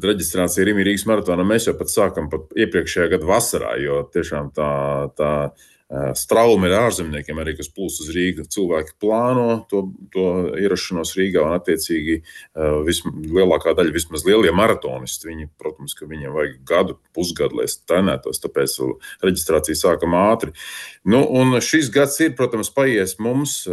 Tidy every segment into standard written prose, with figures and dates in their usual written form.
Reģistrācija Rīgas maratonā mēs jau pat sākam pat iepriekšējā gada vasarā, jo tiešām tā strauma ir ārzemniekiem arī, kas plūst uz Rīgu. Cilvēki plāno to ierašanos Rīgā un attiecīgi lielākā daļa, vismaz lielie maratonisti, viņi, protams, ka viņiem vajag gadu, pusgadu, lai trenētos, tāpēc reģistrācija sākam ātri. Nu, un šis gads ir, protams, paies mums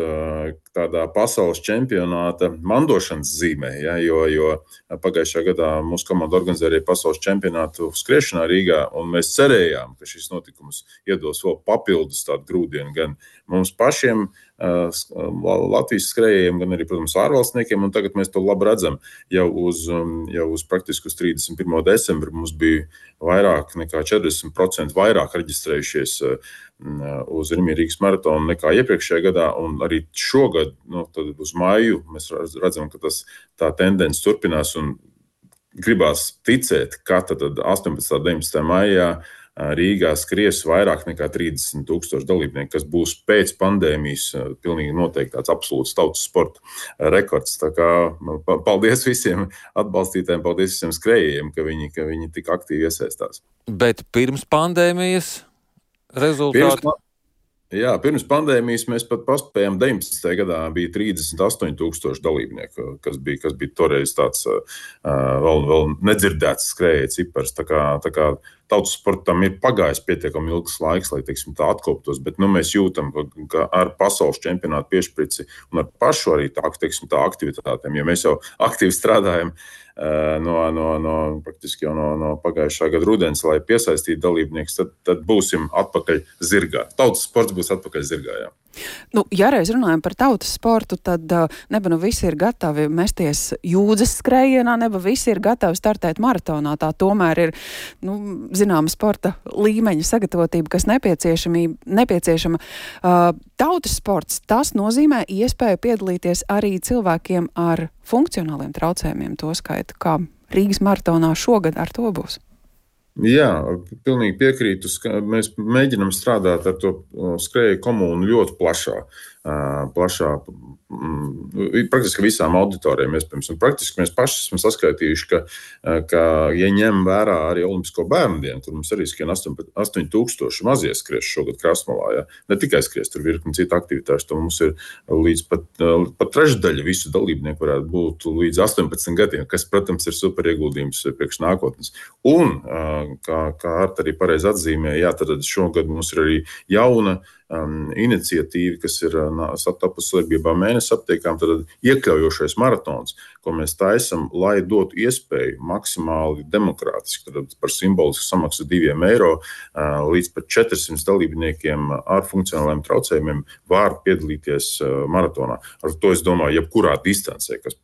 tādā pasaules čempionāta mandošanas zīmē, ja, jo pagājušā gadā mūsu komanda organizēja pasaules čempionātu skriešanā Rīgā, un mēs cerējām, ka šis notikums iedos vēl papildus tādu grūdienu gan mums pašiem, Latvijas skrējējiem, gan arī, protams, ārvalstniekiem, un tagad mēs to labi redzam. Jau uz praktiski uz 31. decembri mums bija vairāk nekā 40% vairāk reģistrējušies uz Rīgas maratonu nekā iepriekšējā gadā, un arī šogad, tad uz maiju, mēs redzam, ka tā tendence turpinās, un gribās ticēt, ka tad 18. un 19. maijā Rīgā skries vairāk nekā 30,000 dalībnieku, kas būs pēc pandēmijas pilnīgi noteikti tāds absolūts tautas sporta rekords. Tā kā paldies visiem atbalstītājiem, paldies visiem skrējējiem, ka viņi tik aktīvi iesaistās. Bet pirms pandēmijas rezultāti? Pirms pandēmijas mēs pat paspējām 19. gadā bija 38,000 dalībnieku, kas bija toreiz tāds vēl nedzirdēts skrējēja cipars. Tā kā tautas sportam ir pagājis pietiekami ilgs laiks, lai, teiksim, tā atkoptos, bet mēs jūtam, ka ar pasaules čempionātu piešprici un ar pašu arī tā aktivitātēm, ja mēs jau aktīvi strādājam praktiski jau no pagājušā gada rudens, lai piesaistītu dalībniekus, tad būsim atpakaļ zirgā. Tautas sports būs atpakaļ zirgā, jā. Ja reiz runājam par tautas sportu, tad neba visi ir gatavi mesties jūdzes skrējienā, neba visi ir gatavi startēt maratonā. Tā tomēr ir, zināma sporta līmeņa sagatavotība, kas nepieciešama. Tautas sports, tas nozīmē iespēju piedalīties arī cilvēkiem ar funkcionāliem traucējumiem, to skaitu, kā Rīgas maratonā šogad ar to būs. Jā, pilnīgi piekrītu. Mēs mēģinam strādāt ar to skrēju komunu ļoti plašā, praktiski visām auditorijām iespējams. Un praktiski mēs paši esam saskaitījuši, ka ja ņem vērā arī Olimpisko bērnu dienu, kur mums arī skrien 8,000 mazie skries šogad Krasmalā. Ja? Ne tikai skries, tur virkni citu aktivitāšu, to mums ir līdz pat trešdaļa visu dalībnieku varētu būt līdz 18 gadiem, kas, protams, ir super ieguldījums priekš nākotnes. Un, kā Arta arī pareizi atzīmēja, tad šogad mums ir arī jauna iniciatīva, kas ir satapusi sadarbībā Mēnesi aptiekām, tad iekļaujošais maratons, ko mēs taisam, lai dotu iespēju maksimāli demokrātiski, tad par simbolisku samaksu €2 līdz pat 400 dalībniekiem ar funkcionāliem traucējumiem var piedalīties maratonā. Ar to es domāju, jebkurā distancē, kas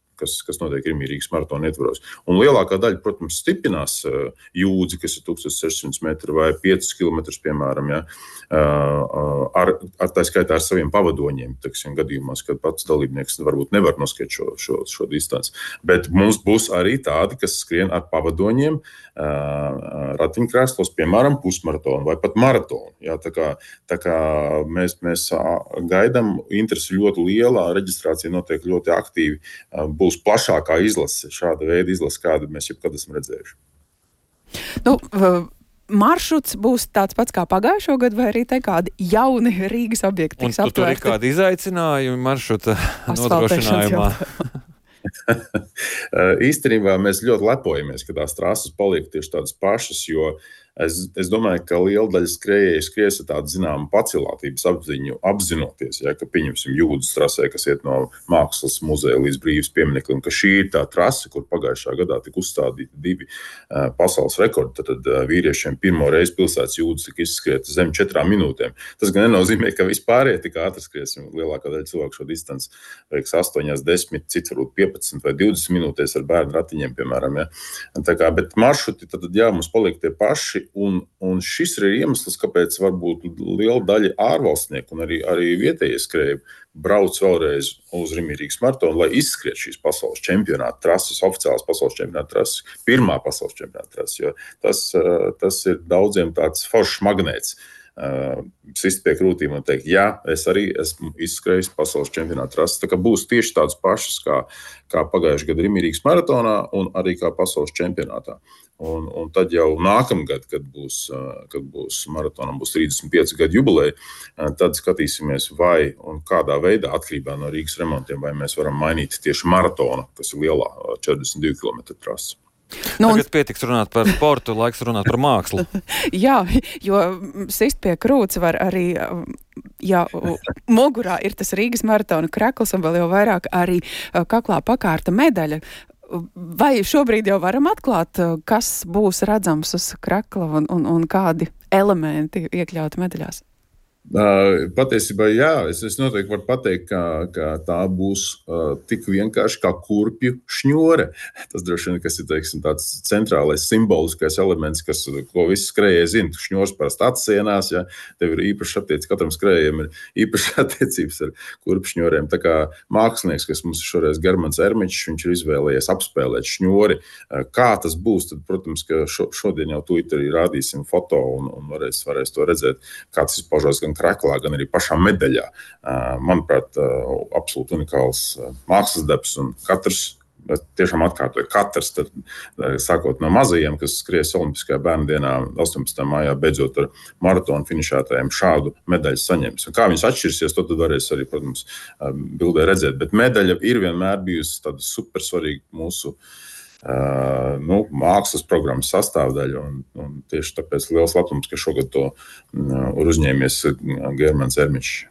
notiek Rīgas maratona ietvaros. Un lielākā daļa, protams, stiprinās jūdzi, kas ir 1600 metri vai 5 kilometrus, piemēram, ja, ar tā skaitā ar saviem pavadoņiem, teiksim, gadījumos, kad pats dalībnieks varbūt nevar noskriet šo distanci. Bet mums būs arī tādi, kas skrien ar pavadoņiem ratiņkrēslos, piemēram, pusmaratonu vai pat maratonu. Ja, tā kā mēs gaidām, interesi ļoti liela, reģistrācija notiek ļoti aktīvi, būs plašākā izlase, šāda veida izlase, kādu mēs jebkad esam redzējuši. Maršruts būs tāds pats kā pagājušo gadu, vai arī te kādi jauni Rīgas objekti tiks aptvērti? Un tur ir kādi izaicinājumi maršruta nodrošinājumā? Īstenībā mēs ļoti lepojamies, ka tās trases paliek tieši tādas pašas, jo es domāju, ka liela daļa skrējēju skries ar tādu zināmu pacilātības apziņu, apzinoties, ja, ka pieņemsim jūdzes trasē, kas iet no Mākslas muzeja līdz Brīvības piemineklim, ka šī ir tā trase, kur pagājušā gadā tika uzstādīti 2 pasaules rekordi. Tad vīriešiem pirmo reizi pilsētas jūdzes tika izskrieta zem 4 minūtēm. Tas gan nenozīmē, ka vispār tik ātri skriesim. Lielākā daļa cilvēku šo distanci veiks 8, 10, cits varbūt 15 vai 20 minūtēs ar bērnu ratiņiem, piemēram. Ja. Tā kā, bet maršruti tad, jā, mums paliek tie paši. Un šis ir iemesls, kāpēc varbūt liela daļa ārvalstnieku un arī vietējie skrēji brauc vēlreiz uz Rīgas maratonu, lai izskriet šīs pasaules čempionāta trases, oficiālās pasaules čempionāta trases, pirmā pasaules čempionāta trases, jo tas ir daudziem tāds foršs magnēts. sist pie krūtīm un teikt, jā, es arī esmu izskrējis pasaules čempionāta trases. Tā kā būs tieši tādas pašas kā pagājušajā gada Rīgas maratonā un arī kā pasaules čempionātā. Un tad jau nākamgad, kad būs maratonam, būs 35 gadu jubileja, tad skatīsimies, vai un kādā veidā atkarībā no Rīgas remontiem, vai mēs varam mainīt tieši maratonu, kas ir lielā 42 km trasa. Tagad pietiks runāt par sportu, laiks runāt par mākslu. Jā, jo sist pie krūts var arī, ja mugurā ir tas Rīgas maratona krekls un vēl jau vairāk arī kaklā pakārta medaļa. Vai šobrīd jau varam atklāt, kas būs redzams uz krekla un kādi elementi iekļauti medaļās? Patiesībā, jā, es noteikti varu pateikt, ka tā būs tik vienkārši kā kurpju šņore. Tas droši vien, kas ir, teiksim, tāds centrālais simboliskais elements, ko visi skrējēji zina. Šņors parasti atsienās, ja tev ir īpaši attiecības, katram skrējējiem ir īpaši attiecības ar kurpju šņoriem. Tā kā mākslinieks, kas mums ir šoreiz Germans Ermičs, viņš ir izvēlējies apspēlēt šņori. Kā tas būs, tad, protams, ka šodien jau Twitterī rādīsim foto un varēs to redzēt, kā tas izpaužās gan kreklā, gan arī pašā medaļā. Manuprāt, absolūti unikāls mākslas darbs, un tiešām atkārtoju, katrs, tad, sākot no mazajiem, kas skries Olimpiskajā bērndienā 18. maijā, beidzot ar maratonu finišētājiem, šādu medaļu saņems. Un kā viņas atšķirsies, to tad varēs arī, protams, bildē redzēt. Bet medaļa ir vienmēr bijusi tāda supersvarīga mūsu mākslas programmas sastāvdaļa, un tieši tāpēc liels labums, ka šogad to ir uzņēmies Germans Ermičs.